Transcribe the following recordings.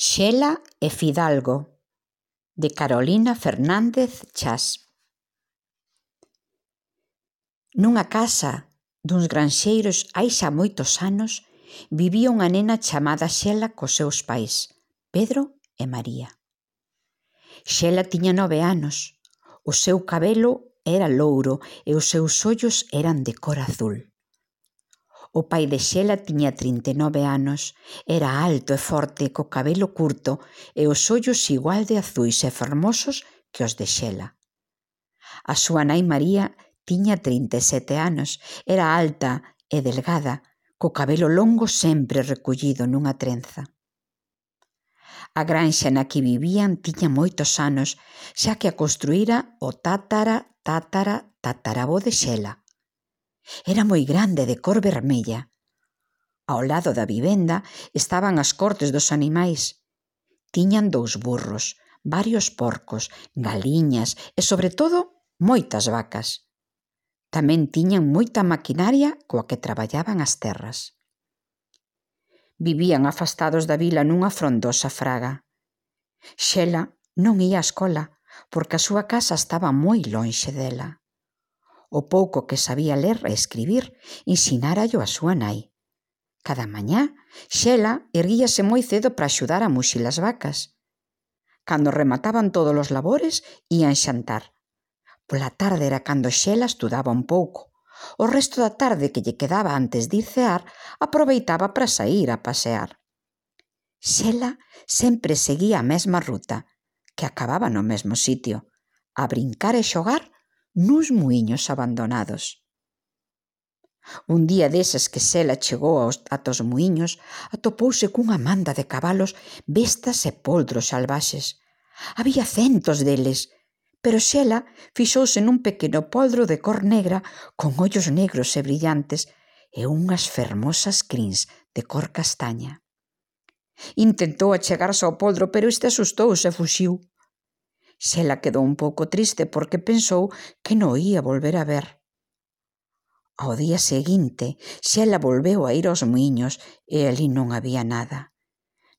Xela e Fidalgo, de Carolina Fernández Chas. Nunha casa duns granxeiros hai xa moitos anos vivía unha nena chamada Xela cos seus pais, Pedro e María. Xela tiña 9 anos, o seu cabelo era louro e os seus ollos eran de cor azul. O pai de Xela tiña 39 anos, era alto e forte, co cabelo curto e os ollos igual de azuis e fermosos que os de Xela. A súa nai María tiña 37 anos, era alta e delgada, co cabelo longo sempre recollido nunha trenza. A granxa na que vivían tiña moitos anos, xa que a construíra o tataravó de Xela. Era moi grande, de cor vermella. Ao lado da vivenda estaban as cortes dos animais. Tiñan 2 burros, varios porcos, galiñas e, sobre todo, moitas vacas. Tamén tiñan moita maquinaria coa que traballaban as terras. Vivían afastados da vila nunha frondosa fraga. Xela non ía á escola porque a súa casa estaba moi lonxe dela. O pouco que sabía ler e escribir ensinárallo a súa nai. Cada mañá, Xela erguíase moi cedo para axudar a muxir as vacas. Cando remataban todos os labores, ían xantar. Pola tarde era cando Xela estudaba un pouco. O resto da tarde que lle quedaba antes de ir cear, aproveitaba para saír a pasear. Xela sempre seguía a mesma ruta, que acababa no mesmo sitio, a brincar e xogar nuns muiños abandonados. Un día deses que Xela chegou ata os muiños, atopouse cunha manda de cabalos, bestas e poldros salvaxes. Había centos deles, pero Xela fixouse nun pequeno poldro de cor negra con ollos negros e brillantes e unhas fermosas crins de cor castaña. Intentou achegarse ao poldro, pero este asustouse e fuxiu. Xela quedou un pouco triste porque pensou que non o ía volver a ver. Ao día seguinte, Xela volveu a ir aos muiños e ali non había nada.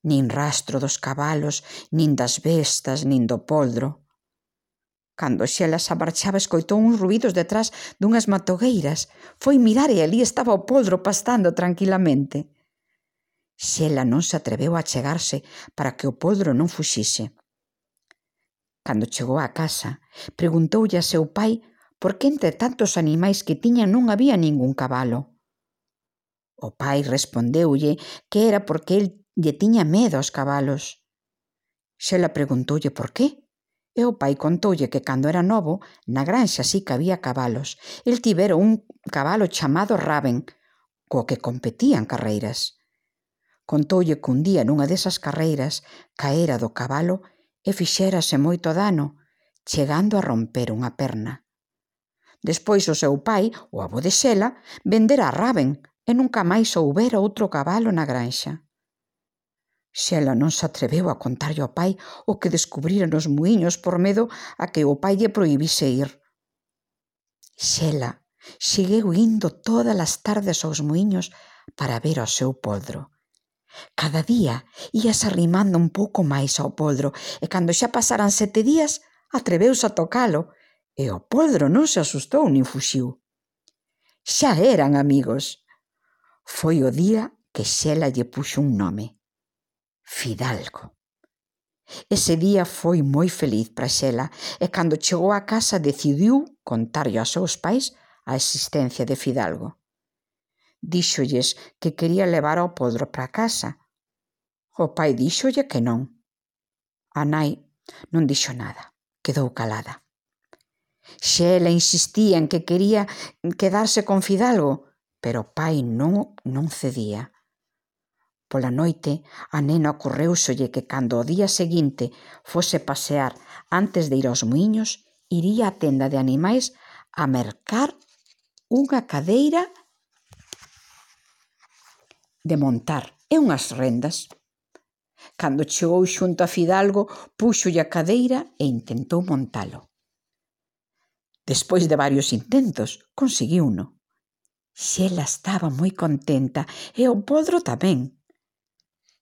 Nin rastro dos cabalos, nin das bestas, nin do poldro. Cando Xela se marchaba escoitou uns ruídos detrás dunhas matogueiras. Foi mirar e ali estaba o poldro pastando tranquilamente. Xela non se atreveu a chegarse para que o poldro non fuxise. Cando chegou á casa, preguntoulle a seu pai por que entre tantos animais que tiña non había ningún cabalo. O pai respondeulle que era porque el lle tiña medo aos cabalos. Xela preguntoulle por qué, e o pai contoulle que cando era novo, na granxa sí que había cabalos. El tivera un cabalo chamado Raven, co que competían carreiras. Contoulle que un día nunha desas carreiras caera do cabalo e fixérase moito dano, chegando a romper unha perna. Despois o seu pai, o avó de Xela, vendera a Raven e nunca máis houbera outro cabalo na granxa. Xela non se atreveu a contarlle ao pai o que descubrira nos muiños por medo a que o pai lle prohibise ir. Xela seguiu indo todas as tardes aos muiños para ver ao seu poldro. Cada día íase arrimando un pouco máis ao poldro e cando xa pasaran 7 días atreveuse a tocalo e o poldro non se asustou nin fuxiu. Xa eran amigos. Foi o día que Xela lle puxo un nome: Fidalgo. Ese día foi moi feliz para Xela e cando chegou á casa decidiu contarlle aos seus pais a existencia de Fidalgo. Díxolles que quería levar ao poldro para casa. O pai díxolle que non. A nai non dixo nada, quedou calada. Xela insistía en que quería quedarse con Fidalgo, pero o pai non cedía. Pola noite, a nena ocorréuselle que cando o día seguinte fose pasear antes de ir aos muiños, iría á tenda de animais a mercar unha cadeira de montar e unhas rendas. Cando chegou xunto a Fidalgo, púxolle a cadeira e intentou montalo. Despois de varios intentos, conseguiuno. Xela estaba moi contenta e o poldro tamén.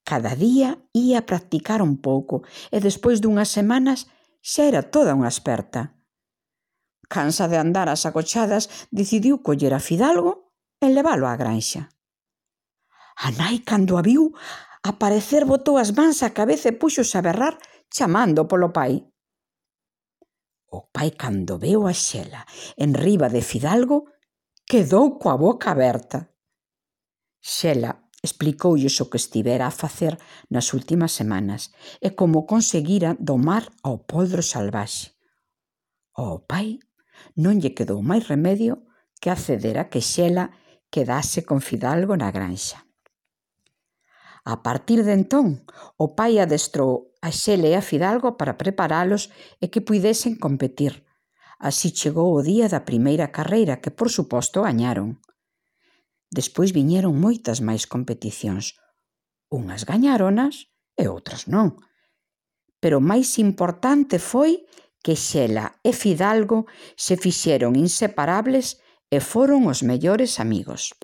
Cada día ía practicar un pouco e despois dunhas semanas xa era toda unha experta. Cansa de andar ás agochadas, decidiu coller a Fidalgo e leválo á granxa. A nai, cando a viu aparecer, botou as mans á cabeza e púxose a berrar chamando polo pai. O pai, cando veu a Xela enriba de Fidalgo, quedou coa boca aberta. Xela explicoulles o que estivera a facer nas últimas semanas e como conseguira domar ao poldro salvaxe. Ao pai non lle quedou máis remedio que acceder a que Xela quedase con Fidalgo na granxa. A partir de entón, o pai adestrou a Xela e a Fidalgo para preparalos e que puidesen competir. Así chegou o día da primeira carreira que, por suposto, gañaron. Despois viñeron moitas máis competicións. Unhas gañáronas e outras non. Pero o máis importante foi que Xela e Fidalgo se fixeron inseparables e foron os mellores amigos.